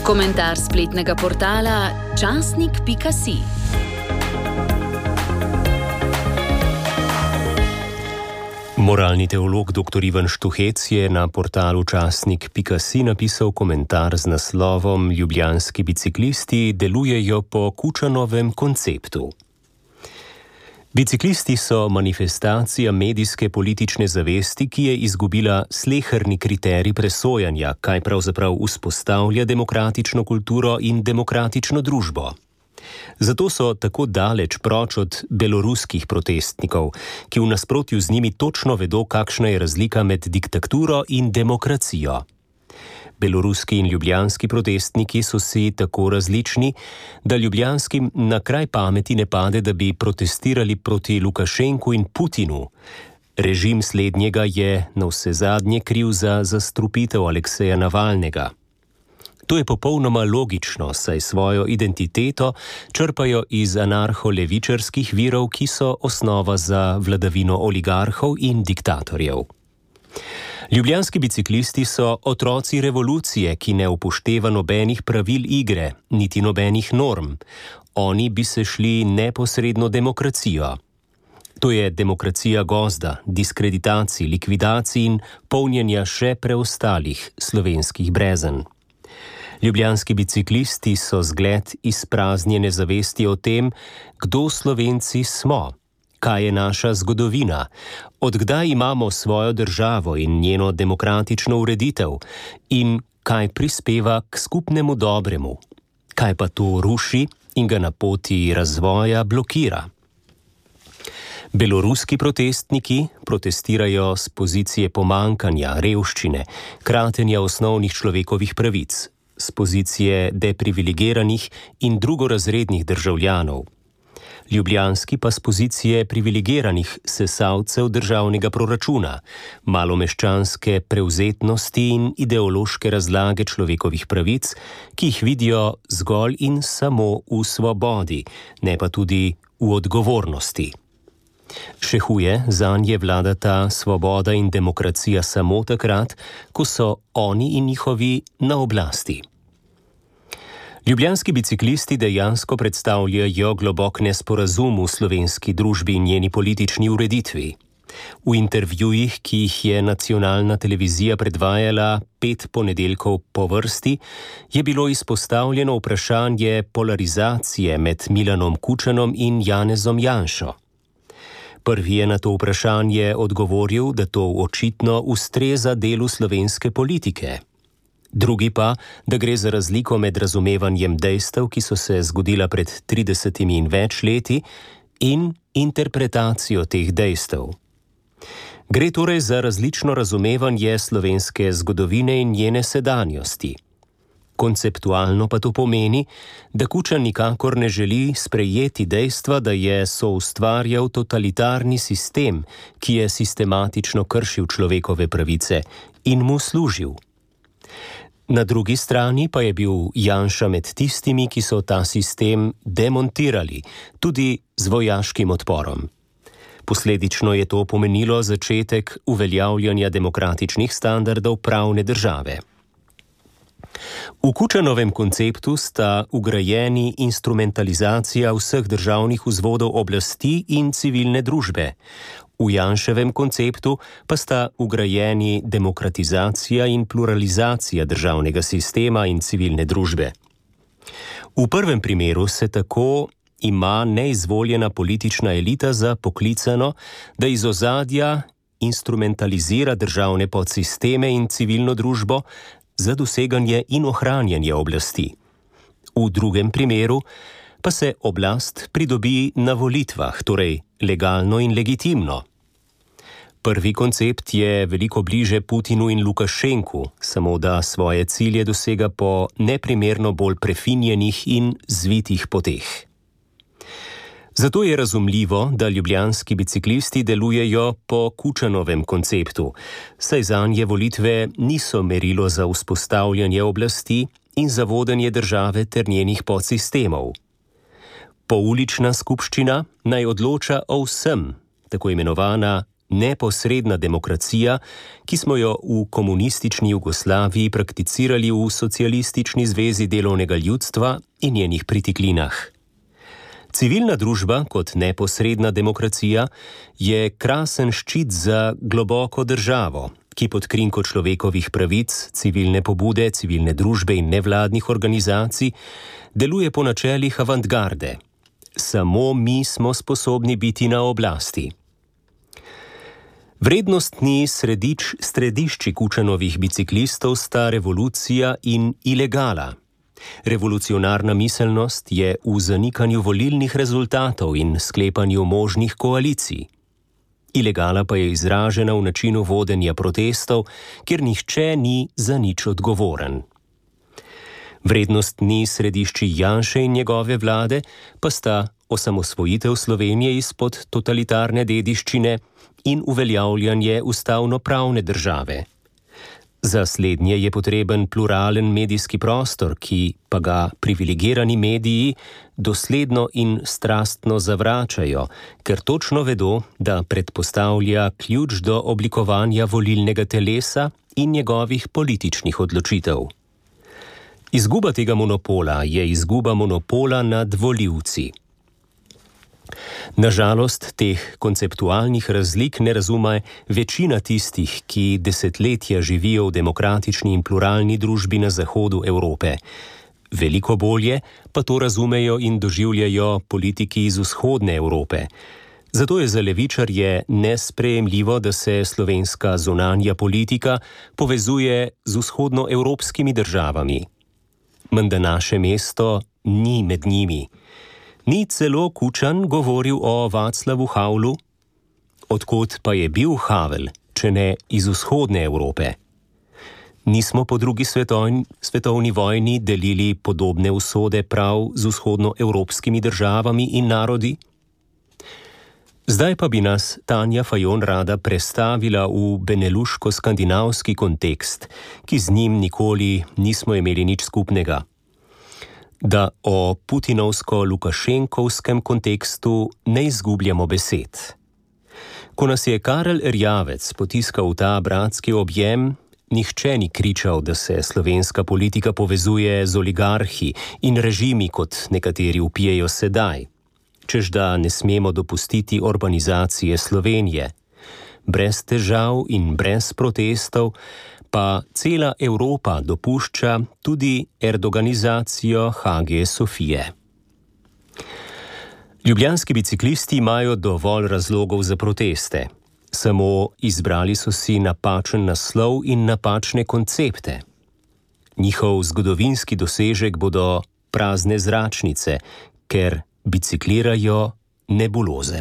Komentar spletnega portala časnik.si. Moralni teolog dr. Ivan Štuhec je na portalu časnik.si napisal komentar z naslovom Ljubljanski biciklisti delujejo po Kučanovem konceptu. Biciklisti so manifestacija medijske politične zavesti, ki je izgubila sleherni kriterij presojanja, kaj pravzaprav vzpostavlja demokratično kulturo in demokratično družbo. Zato so tako daleč proč od beloruskih protestnikov, ki v nasprotju z njimi točno vedo, kakšna je razlika med diktaturo in demokracijo. Beloruski in ljubljanski protestniki so si tako različni, da ljubljanskim na kraj pameti ne pade, da bi protestirali proti Lukašenku in Putinu. Režim slednjega je navsezadnje kriv za zastrupitev Alekseja Navalnega. To je popolnoma logično, saj svojo identiteto črpajo iz anarho-levičarskih virov, ki so osnova za vladavino oligarhov in diktatorjev. Ljubljanski biciklisti so otroci revolucije, ki ne upošteva nobenih pravil igre, niti nobenih norm. Oni bi se šli neposredno demokracijo. To je demokracija gozda, diskreditacij, likvidacij in polnjenja še preostalih slovenskih brezen. Ljubljanski biciklisti so zgled izpraznjene zavesti o tem, kdo Slovenci smo, kaj je naša zgodovina, od kdaj imamo svojo državo in njeno demokratično ureditev in kaj prispeva k skupnemu dobremu, kaj pa to ruši in ga na poti razvoja blokira. Beloruski protestniki protestirajo z pozicije pomankanja, revščine, kratenja osnovnih človekovih pravic, z pozicije deprivilegiranih in drugorazrednih državljanov. Ljubljanski pa z pozicije privilegiranih sesalcev državnega proračuna, malomeščanske prevzetnosti in ideološke razlage človekovih pravic, ki jih vidijo zgolj in samo v svobodi, ne pa tudi v odgovornosti. Še huje, zanje vladata svoboda in demokracija samo takrat, ko so oni in njihovi na oblasti. Ljubljanski biciklisti dejansko predstavljajo globok nesporazum v slovenski družbi in njeni politični ureditvi. V intervjujih, ki jih je nacionalna televizija predvajala 5 ponedeljkov po vrsti, je bilo izpostavljeno vprašanje polarizacije med Milanom Kučanom in Janezom Janšo. Prvi je na to vprašanje odgovoril, da to očitno ustreza delu slovenske politike. Drugi pa, da gre za razliko med razumevanjem dejstev, ki so se zgodila pred 30 in več leti, in interpretacijo teh dejstev. Gre torej za različno razumevanje slovenske zgodovine in njene sedanjosti. Konceptualno pa to pomeni, da Kučan nikakor ne želi sprejeti dejstva, da je soustvarjal totalitarni sistem, ki je sistematično kršil človekove pravice in mu služil. Na drugi strani pa je bil Janša med tistimi, ki so ta sistem demontirali, tudi z vojaškim odporom. Posledično je to pomenilo začetek uveljavljanja demokratičnih standardov pravne države. V Kučanovem konceptu sta ugrajeni instrumentalizacija vseh državnih vzvodov oblasti in civilne družbe. V Janševem konceptu pa sta ugrajeni demokratizacija in pluralizacija državnega sistema in civilne družbe. V prvem primeru se tako ima neizvoljena politična elita za poklicano, da iz ozadja instrumentalizira državne podsisteme in civilno družbo za doseganje in ohranjanje oblasti. V drugem primeru pa se oblast pridobi na volitvah, torej legalno in legitimno. Prvi koncept je veliko bliže Putinu in Lukašenku, samo da svoje cilje dosega po neprimerno bolj prefinjenih in zvitih poteh. Zato je razumljivo, da ljubljanski biciklisti delujejo po Kučanovem konceptu, saj zanje volitve niso merilo za vzpostavljanje oblasti in za vodenje države ter njenih podsistemov. Poulična skupščina naj odloča o vsem, tako imenovana neposredna demokracija, ki smo jo v komunistični Jugoslaviji prakticirali v Socialistični zvezi delovnega ljudstva in njenih pritiklinah. Civilna družba kot neposredna demokracija je krasen ščit za globoko državo, ki pod krinko človekovih pravic, civilne pobude, civilne družbe in nevladnih organizacij deluje po načelih avantgarde. Samo mi smo sposobni biti na oblasti. Vrednostni središči Kučanovih biciklistov sta revolucija in ilegala. Revolucionarna miselnost je v zanikanju volilnih rezultatov in sklepanju možnih koalicij. Ilegala pa je izražena v načinu vodenja protestov, kjer nihče ni za nič odgovoren. Vrednostni središči Janše in njegove vlade pa sta osamosvojitev Slovenije izpod totalitarne dediščine in uveljavljanje ustavno-pravne države. Za slednje je potreben pluralen medijski prostor, ki pa ga privilegirani mediji dosledno in strastno zavračajo, ker točno vedo, da predpostavlja ključ do oblikovanja volilnega telesa in njegovih političnih odločitev. Izguba tega monopola je izguba monopola nad volivci. Nažalost, teh konceptualnih razlik ne razume večina tistih, ki desetletja živijo v demokratični in pluralni družbi na zahodu Evrope. Veliko bolje pa to razumejo in doživljajo politiki iz vzhodne Evrope. Zato je za levičarje nesprejemljivo, da se slovenska zunanja politika povezuje z vzhodnoevropskimi državami. Menda naše mesto ni med njimi. Ni celo Kučan govoril o Václavu Havlu? Odkot pa je bil Havel, če ne iz vzhodne Evrope? Nismo po drugi svetovni vojni delili podobne usode prav z vzhodnoevropskimi državami in narodi? Zdaj pa bi nas Tanja Fajon rada prestavila v beneluško-skandinavski kontekst, ki z njim nikoli nismo imeli nič skupnega. Da o putinovsko-lukašenkovskem kontekstu ne izgubljamo besed. Ko nas je Karel Erjavec potiskal v ta bratski objem, nihče ni kričal, da se slovenska politika povezuje z oligarhi in režimi, kot nekateri vpijejo sedaj, čež da ne smemo dopustiti urbanizacije Slovenije. Brez težav in brez protestov pa cela Evropa dopušča tudi erdoganizacijo Hage Sofije. Ljubljanski biciklisti imajo dovolj razlogov za proteste. Samo izbrali so si napačen naslov in napačne koncepte. Njihov zgodovinski dosežek bodo prazne zračnice, ker biciklirajo nebuloze.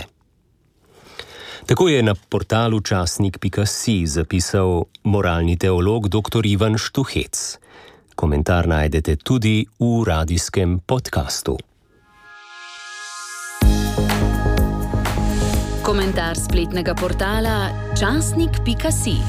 Tako je na portalu časnik.si zapisal moralni teolog dr. Ivan Štuhec. Komentar najdete tudi v radijskem podkastu. Komentar spletnega portala časnik.si.